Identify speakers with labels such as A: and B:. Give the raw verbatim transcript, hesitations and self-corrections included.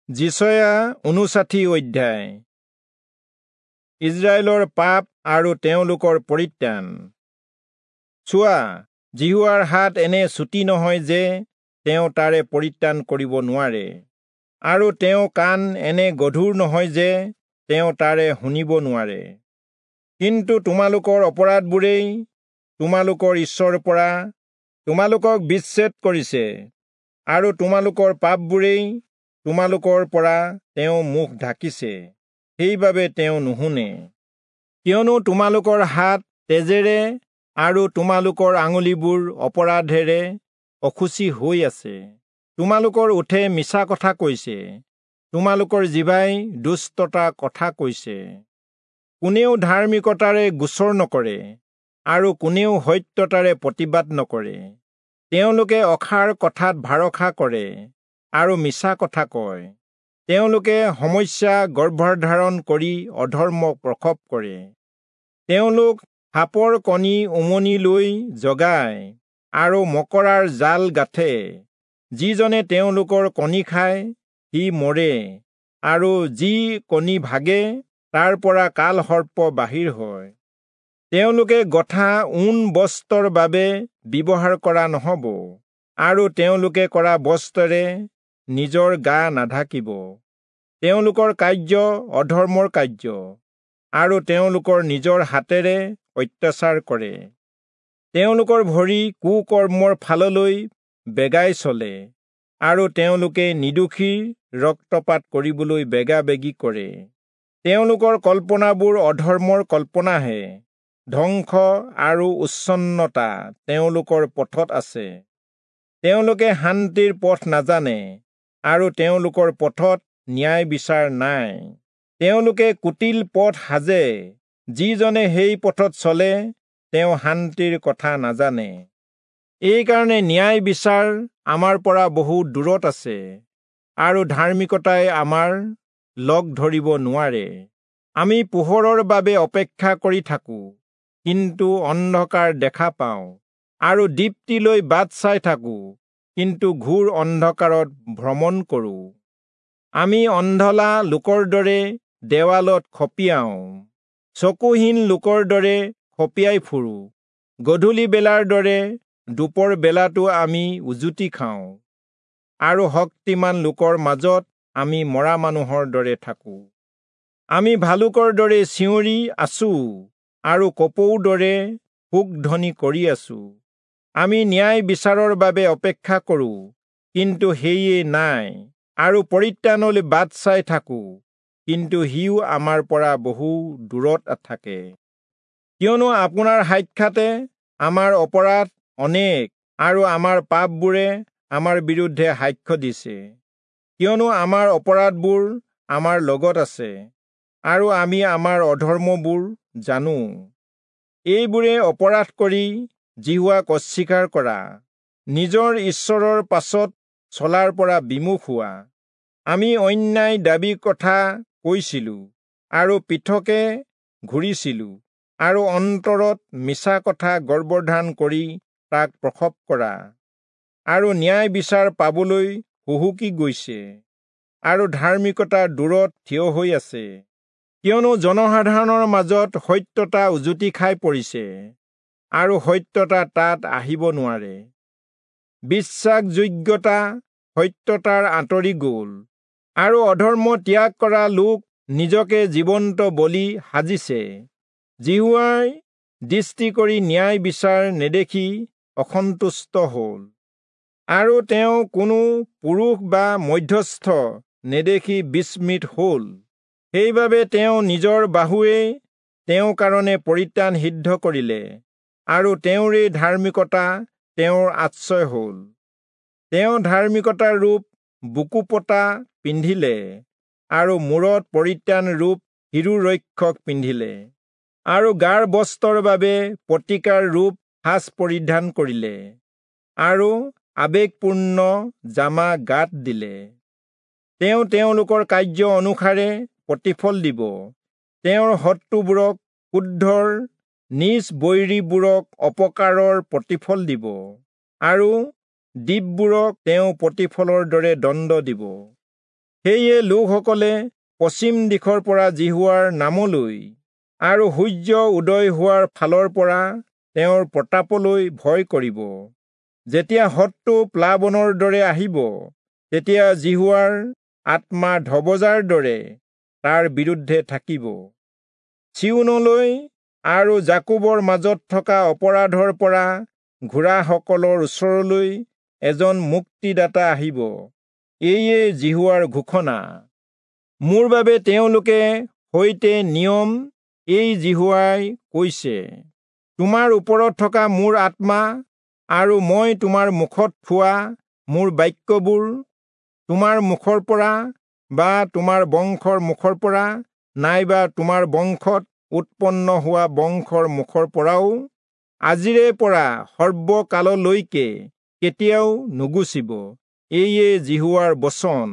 A: যিচয়া ঊনষাঠি অধ্যায়। ইস্ৰায়েলৰ পাপ আৰু তেওঁলোকৰ পৰিত্ৰাণ। চোৱা, যিহোৱাৰ হাত এনে চুটি নহয় যে তেওঁ তাৰে পৰিত্ৰাণ কৰিব নোৱাৰে, আৰু তেওঁ কাণ এনে গধুৰ নহয় যে তেওঁ তাৰে শুনিব নোৱাৰে। কিন্তু তোমালোকৰ অপৰাধবোৰেই তোমালোকৰ ঈশ্বৰৰ পৰা তোমালোকক বিচ্ছেদ কৰিছে, আৰু তোমালোকৰ পাপবোৰেই তোমালোকৰ পৰা তেওঁ মুখ ঢাকিছে, সেইবাবে তেওঁ নুশুনে। কিয়নো তোমালোকৰ হাত তেজেৰে আৰু তোমালোকৰ আঙুলিবোৰ অপৰাধেৰে অশুচি হৈ আছে। তোমালোকৰ ওঁঠে মিছা কথা কৈছে, তোমালোকৰ জিভাই দুষ্টতা কথা কৈছে। কোনেও ধাৰ্মিকতাৰে গোচৰ নকৰে আৰু কোনেও সত্যতাৰে প্ৰতিবাদ নকৰে। তেওঁলোকে অসাৰ কথাত ভৰসা কৰে আৰু মিছা কথা কয়। তেওঁলোকে সমস্যা গৰ্ভধাৰণ কৰি অধৰ্ম প্ৰসৱ কৰে। তেওঁলোক সাপৰ কণী উমনি লৈ জগায় আৰু মকৰাৰ জাল গাঁঠে। যিজনে তেওঁলোকৰ কণী খায় সি মৰে, আৰু যি কণী ভাগে তাৰ পৰা কালসৰ্প বাহিৰ হয়। তেওঁলোকে গঠা ঊণ বস্ত্ৰৰ বাবে ব্যৱহাৰ কৰা নহ'ব, আৰু তেওঁলোকে কৰা বস্ত্ৰেৰে নিজৰ গা নাঢাকিব। তেওঁলোকৰ কাৰ্য অধৰ্মৰ কাৰ্য, আৰু তেওঁলোকৰ নিজৰ হাতেৰে অত্যাচাৰ কৰে। তেওঁলোকৰ ভৰি কুকৰ্মৰ ফাললৈ বেগাই চলে, আৰু তেওঁলোকে নিৰ্দোষীৰ ৰক্তপাত কৰিবলৈ বেগাবেগি কৰে। তেওঁলোকৰ কল্পনাবোৰ অধৰ্মৰ কল্পনাহে, ধ্বংস আৰু উচ্ছন্নতা তেওঁলোকৰ পথত আছে। তেওঁলোকে শান্তিৰ পথ নাজানে, আৰু তেওঁলোকৰ পথত ন্যায় বিচাৰ নাই। তেওঁলোকে কুটিল পথ সাজে, যিজনে সেই পথত চলে তেওঁ শান্তিৰ কথা নাজানে। এইকাৰণে ন্যায় বিচাৰ আমাৰ পৰা বহু দূৰত আছে, আৰু ধাৰ্মিকতাই আমাৰ লগ ধৰিব নোৱাৰে। আমি পোহৰৰ বাবে অপেক্ষা কৰি থাকোঁ, কিন্তু অন্ধকাৰ দেখা পাওঁ, আৰু দীপ্তিলৈ বাট চাই থাকোঁ, কিন্তু ঘোৰ অন্ধকাৰত ভ্ৰমণ কৰোঁ। আমি অন্ধলা লোকৰ দৰে দেৱালত খপিয়াওঁ, চকুহীন লোকৰ দৰে খপিয়াই ফুৰোঁ। গধূলি বেলাৰ দৰে দুপৰ বেলাতো আমি উজুতি খাওঁ, আৰু শক্তিমান লোকৰ মাজত আমি মৰা মানুহৰ দৰে থাকোঁ। আমি ভালুকৰ দৰে চিঞৰি আছোঁ, আৰু কপৌৰ দৰে শোকধ্বনি কৰি আছোঁ। আমি ন্যায় বিচাৰৰ বাবে অপেক্ষা কৰোঁ, কিন্তু সেয়ে নাই, আৰু পৰিত্ৰাণলৈ বাট চাই থাকোঁ, কিন্তু সিও আমাৰ পৰা বহু দূৰত থাকে। কিয়নো আপোনাৰ সাক্ষাতে আমাৰ অপৰাধ অনেক, আৰু আমাৰ পাপবোৰে আমাৰ বিৰুদ্ধে সাক্ষ্য দিছে। কিয়নো আমাৰ অপৰাধবোৰ আমাৰ লগত আছে, আৰু আমি আমাৰ অধৰ্মবোৰ জানো। এইবোৰে অপৰাধ কৰি যিহোৱাক অস্বীকাৰ কৰা, নিজৰ ঈশ্বৰৰ পাছত চলাৰ পৰা বিমুখ হোৱা। আমি অন্যায় দাবী কথা কৈছিলোঁ, আৰু পৃথকে ঘূৰিছিলোঁ, আৰু অন্তৰত মিছা কথা গৰ্ভধাৰণ কৰি তাক প্ৰসৱ কৰা, আৰু ন্যায় বিচাৰ পাবলৈ হুহুকি গৈছে, আৰু ধাৰ্মিকতা দূৰত থিয় হৈ আছে। কিয়নো জনসাধাৰণৰ মাজত সত্যতা উজুতি খাই পৰিছে, আৰু সত্যতা তাত আহিব নোৱাৰে। বিশ্বাসযোগ্যতা সত্যতাৰ আঁতৰি গ'ল, আৰু অধৰ্ম ত্যাগ কৰা লোক নিজকে জীৱন্ত বলি সাজিছে। যিহোৱাই দৃষ্টি কৰি ন্যায় বিচাৰ নেদেখি অসন্তুষ্ট হ'ল, আৰু তেওঁ কোনো পুৰুষ বা মধ্যস্থ নেদেখি বিস্মিত হ'ল। সেইবাবে তেওঁ নিজৰ বাহুৱে তেওঁৰ কাৰণে পৰিত্ৰাণ সিদ্ধ কৰিলে, আৰু তেওঁৰেই ধাৰ্মিকতা তেওঁৰ আশ্ৰয় হ'ল। তেওঁ ধাৰ্মিকতাৰ ৰূপ বুকুপতা পিন্ধিলে, আৰু মূৰত পৰিত্ৰাণ ৰূপ শিৰোৰক্ষক পিন্ধিলে, আৰু গাৰ বস্ত্ৰৰ বাবে প্ৰতিকাৰ ৰূপ সাজ পৰিধান কৰিলে, আৰু আৱেগপূৰ্ণ জামা গাত দিলে। তেওঁ তেওঁলোকৰ কাৰ্য অনুসাৰে প্ৰতিফল দিব, তেওঁৰ শত্ৰুবোৰক ক্ৰোধৰ, নিজ বৈৰীবোৰক অপকাৰৰ প্ৰতিফল দিব, আৰু দ্বীপবোৰক তেওঁ প্ৰতিফলৰ দৰে দণ্ড দিব। সেয়ে লোকসকলে পশ্চিম দিশৰ পৰা যিহোৱাৰ নামলৈ আৰু সূৰ্য উদয় হোৱাৰ ফালৰ পৰা তেওঁৰ প্ৰতাপলৈ ভয় কৰিব। যেতিয়া শত্ৰু প্লাৱনৰ দৰে আহিব, তেতিয়া যিহোৱাৰ আত্মা ধবজাৰ দৰে তাৰ বিৰুদ্ধে থাকিব। চিয়োনলৈ আৰু যাকোবৰ মাজত থকা অপৰাধৰ পৰা ঘূৰাসকলৰ ওচৰলৈ এজন মুক্তিদাতা আহিব। এয়ে যিহোৱাৰ ঘোষণা। মোৰ বাবে তেওঁলোকে সৈতে নিয়ম এই যিহোৱাই কৈছে, তোমাৰ ওপৰত থকা মোৰ আত্মা আৰু মই তোমাৰ মুখত থোৱা মোৰ বাক্যবোৰ তোমাৰ মুখৰ পৰা বা তোমাৰ বংশৰ মুখৰ পৰা নাইবা তোমাৰ বংশত উৎপন্ন হোৱা বংশৰ মুখৰ পৰাও আজিৰে পৰা সৰ্বকাললৈকে কেতিয়াও নুগুচিব। এয়ে যিহোৱাৰ বচন।